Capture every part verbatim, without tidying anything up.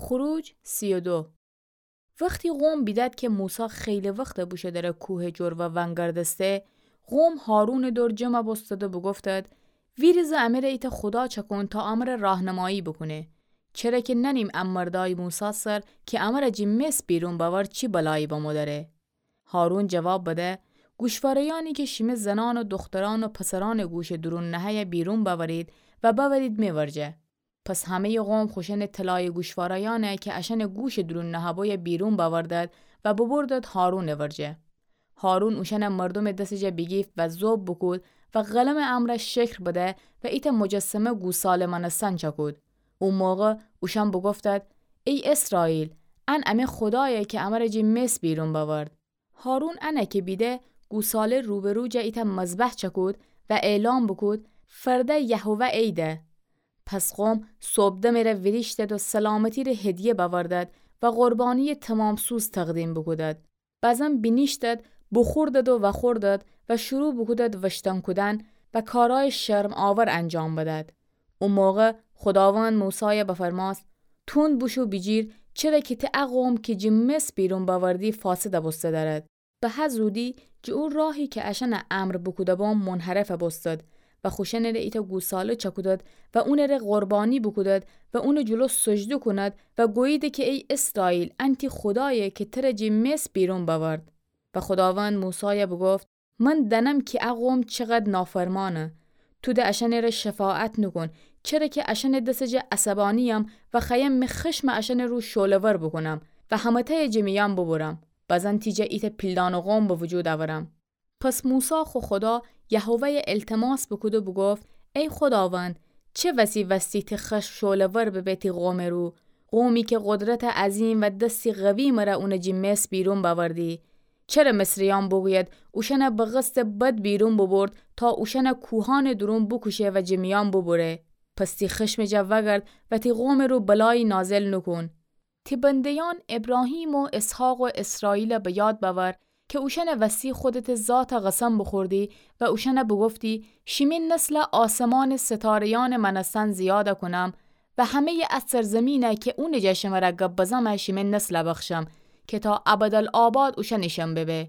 خروج سی و دو. وختی قوم بیدد کی موسی خیلی وخت بوشو دره کوه جلو ونگردسته، قوم هارونٚ دور جمع بوستد و بوگفتد: ویریزه امره ایتأ خودا چأکون تا امره راهنمایی بوکونه. چره کی نأنیم ا مردأی موسی سر کی امره جی مصر بیرون بأورد چی بلایی بمو دأره. هارون جواب بده: گوشواره‌یأنی کی شیمه زنأن و دوخترأن و پسرأنٚ گوشٚ دورون نهه‌یه بیرون بأورید و بأورید می ورجه. پس همه‌یٚ قوم خوشأنٚ طلایٚ گوشواره‌یأنه کی اشأنٚ گوشٚ دورون نهه‌بویه بیرون بأوردد و ببردد هارونٚ ورجه. هارون اوشأنه مردومٚ دسٚ جا بیگیفت و ذوب بوکود و قلمٚ امرأ شکل بده و ایتأ مجسمه گوساله مأنستن چأکود. او موقع اوشأن بوگفتد: ای اسرائیل، ان امه خودایه کی امره جی مصر بیرون بأورد. هارون انه کی بیده، گوساله روبرو جه ایتأ مذبح چأکود و اعلام بوکود: فرده یهوه عیده. پس قوم صوبدمٚ ره ویریشتد و سلامتی ره هدیه بأوردد و قربانییٚ تومام‌سوز تقدیم بوکودد. بزن بینیشتد، بوخوردد و وأخوردد و شروع بوکودد وشتن کودن و کارأیٚ شرم‌آور انجام بدد. او موقع خوداوند موسایه بفرمأست: توند بوشو بیجیر، چره کی ته ا قوم کی جی مصر بیرون بأوردی فاسد بوسته دأرد. به هه زودی جٚه او راهی کی اشأنه امر بوکوده‌بوم منحرف بوستد و خوشأنٚ ره ایتأ گوساله چأکودد و اونٚ ره قربانی بوکودد و اونٚ جلو سجده کونید و گوییدی کی ای اسرائیل، ان تی خودایه کی تره جٚه مصر بیرون بأورد. و خوداوند موسایه بوگفت: من دأنم کی ا قوم چقدر نافرمأنه. تو ده اشأنٚ ره شفاعت نوکون، چره کی اشأنٚ دسٚ جا عصبانییم و خوأیم می خشم اشأنٚ رو شعله‌ور بوکونم و همه‌تأیه جٚه میأن بوبرم. بزن تی جا ایتأ پیلدانٚ قوم به وجود اورم. پس موسی خو خودا یهوه‌یه التماس بوکود و بوگفت: ای خوداوند، چه وسی وستی تی خشم شعله‌ور ببه تی قومٚ رو؟ قومی کی قدرتٚ عظیم و دستی قوی مره اونٚ جٚه مصر بیرون بأوردی. چره مصریأن بوگوید اوشأنه به قصدٚ بد بیرون بوبرد تا اوشأنه کوهأنٚ دورون بوکوشه و جٚه میأن بوبره؟ پس تی خشمٚ جا وأگرد و تی قومٚ رو بلایی نازل نوکون. تی بنده‌یأن ابراهیم و اسحاق و اسرائیل به یاد بأور کی اوشأنٚ وستی خودتٚ ذات قسم بوخوردی و اوشأنه بوگفتی: شیمی نسل آسمانٚ ستاره‌یأنٚ مأنستن زیاد کونم و همه‌یٚ ا سرزمین کی اونٚ جا شمره گب بزم شیمی نسل بخشم کی تا ابدالآباد اوشأنیشأن ببه.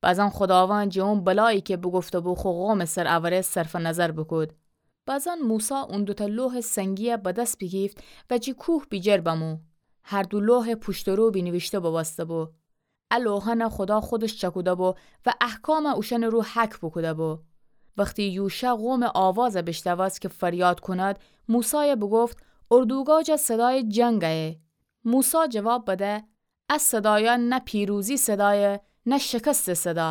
بزن خوداوند جٚه اون بلایی کی بوگفته‌بو خو قومٚ سر اوره صرفٚ نظر بوکود. بزن موسی اون دوتأ لوحٚ سنگیی به دس بیگیفت و جٚه کوه بیجیر بمو. هر دو لوحٚ پوشت و رو بینیویشته بوبوسته‌بو. ا لوحأنه خودا خودش چأکوده‌بو و احکام اوشأنٚ رو حک بوکوده‌بو. وختی یوشع قومٚ آواز بیشنوست کی فریاد کونید، موسایه بوگفت: اردوگاه جا صدایٚ جنگ ایه. موسی جواب بده: ا صدایأن نه پیروزی صدایه، نه شکستٚ صدا،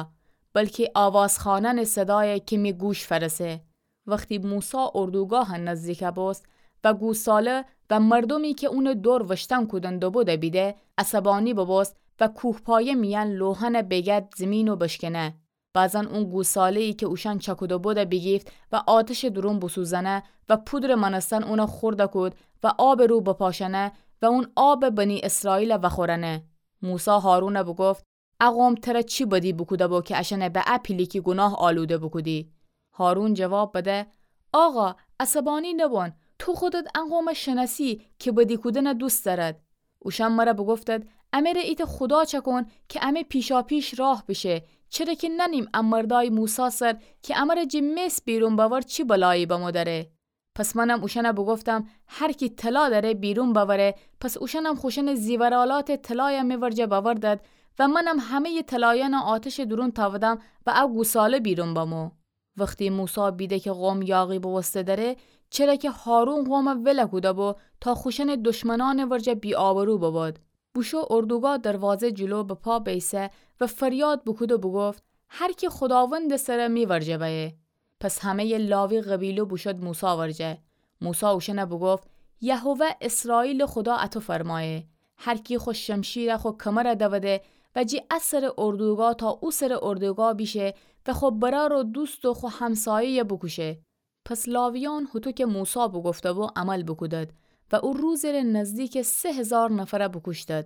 بلکی آواز خوأنأنٚ صدایه کی می گوش فأرسه. وختی موسی اردوگاه نزدیک بوست و گوساله و مردومی کی اونٚ دور وشتن کودن دوبوده بیده، عصبانی بوبوست و کوهپایه میأن لوحأنه بیگرد زیمین و بشکنه. بزن اون گوساله‌یی کی اوشأن چأکوده‌بوده بیگیفت و آتشٚ دورون بوسوزأنه و پودرٚ مأنستن اونه خورده کود و آبٚ رو بپاشأنه و اون آب بنی اسرائیل وأخورأنه. موسی هارونه بوگفت: ا قوم تره چی بدی بوکوده‌بو کی اشأنه به ا پیلیکی گوناه آلوده بوکودی؟ هارون جواب بده: آقا، عصبانی نوبون، تو خودت ا قومه شنأسی کی بدی کودنه دوست دأرد. اوشأن مره بوگفتد: امره ایتأ خودا چأکون کی امه پیشاپیش راه بیشه، چره کی نأنیم ا مردأی موسی سر کی امره جٚه مصر بیرون بأورد چی بلایی بمو دأره. پس منم اوشأنه بوگفتم: هر کی طلا دأره بیرون بأوره. پس اوشأنم خوشأنٚ زیورآلاتٚ طلایه می ورجه بأوردد و منم همه‌یٚ طلایأنه آتشٚ دورون تأودم و ا گوساله بیرون بمو. وختی موسی بیده کی قوم یاغی بوبوسته دأره، چره کی هارون قومه ول کوده‌بو تا خوشأنٚ دشمنأنٚ ورجه بی‌آبرو ببد، بوشو اردوگاه دروازه جلو به پا بیسه و فریاد بوکود و بوگفت: هر کی خوداوندٚ سر می ورجه بأیه. پس همه‌یٚ لاوی قبیله بوشد موسی ورجه. موسی اوشأنه بوگفت: یهوه اسرائیلٚ خودا اطو فرمأیه: هر کی خو شمشیره خو کمره دوده و جٚه ا سرٚ اردوگاه تا او سرٚ اردوگاه بیشه و خو برأر و دوست و خو همسایه‌یه بوکوشه. پس لاویأن هوطو کی موسی بوگفته‌بو عمل بوکودد و او روزٚ ره نزدیکٚ سه هیزار نفره بوکوشتد.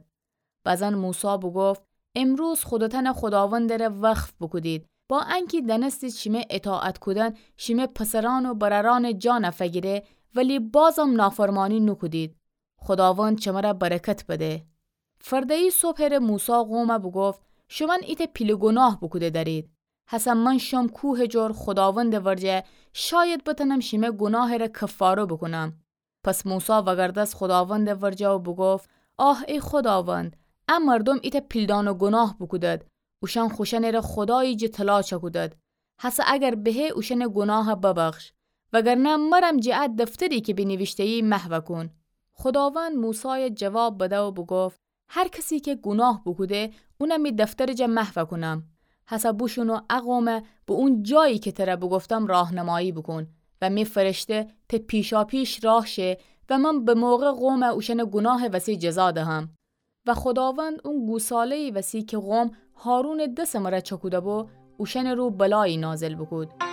بزن موسی بوگفت: امروز خودتأنه خوداوندٚ ره وقف بوکودید، با انکی دأنستید شیمه اطاعت کودن شیمه پسرأن و برأرأنٚ جانه فگیره، ولی بازم نافرمانی نوکودید. خوداوند شمره برکت بده. فرده‌یی صبحٚ ره موسی قومه بوگفت: شومأن ایتأ پیله گوناه بوکوده دأرید. هسه من شوم کوهٚ جور خوداوندٚ ورجه، شاید بتأنم شیمه گوناهٚ ره کفاره بوکونم. پس موسی وگردست خوداوندٚ ورجه و بوگفت: آه ای خوداوند، ا مردوم ایتأ پیلدانه گوناه بوکودد، اوشأن خوشأنٚ ره خودایی جٚه طلا چأکودد. هسه اگر بهه اوشأنٚ گوناه ببخش، وگرنه مرم جٚه ا دفتری کی بینیویشته‌یی محو کون. خوداوند موسای جواب بده و بوگفت: هر کسی کی گوناه بوکوده، اونم می دفترٚ جا محو کونم. هسه بوشون و ا قومه به اون جایی کی تره بوگفتم راهنمایی بوکون و می فرشته ته پیشاپیش راه شه و من به موقع قومه اوشأنٚ گوناهٚ وسی جزا دهم. و خوداوند اون گوساله‌یی وسی کی قوم هارونٚ دسٚ مره چکوده‌بو، اوشأنٚ رو بلایی نازل بوکود.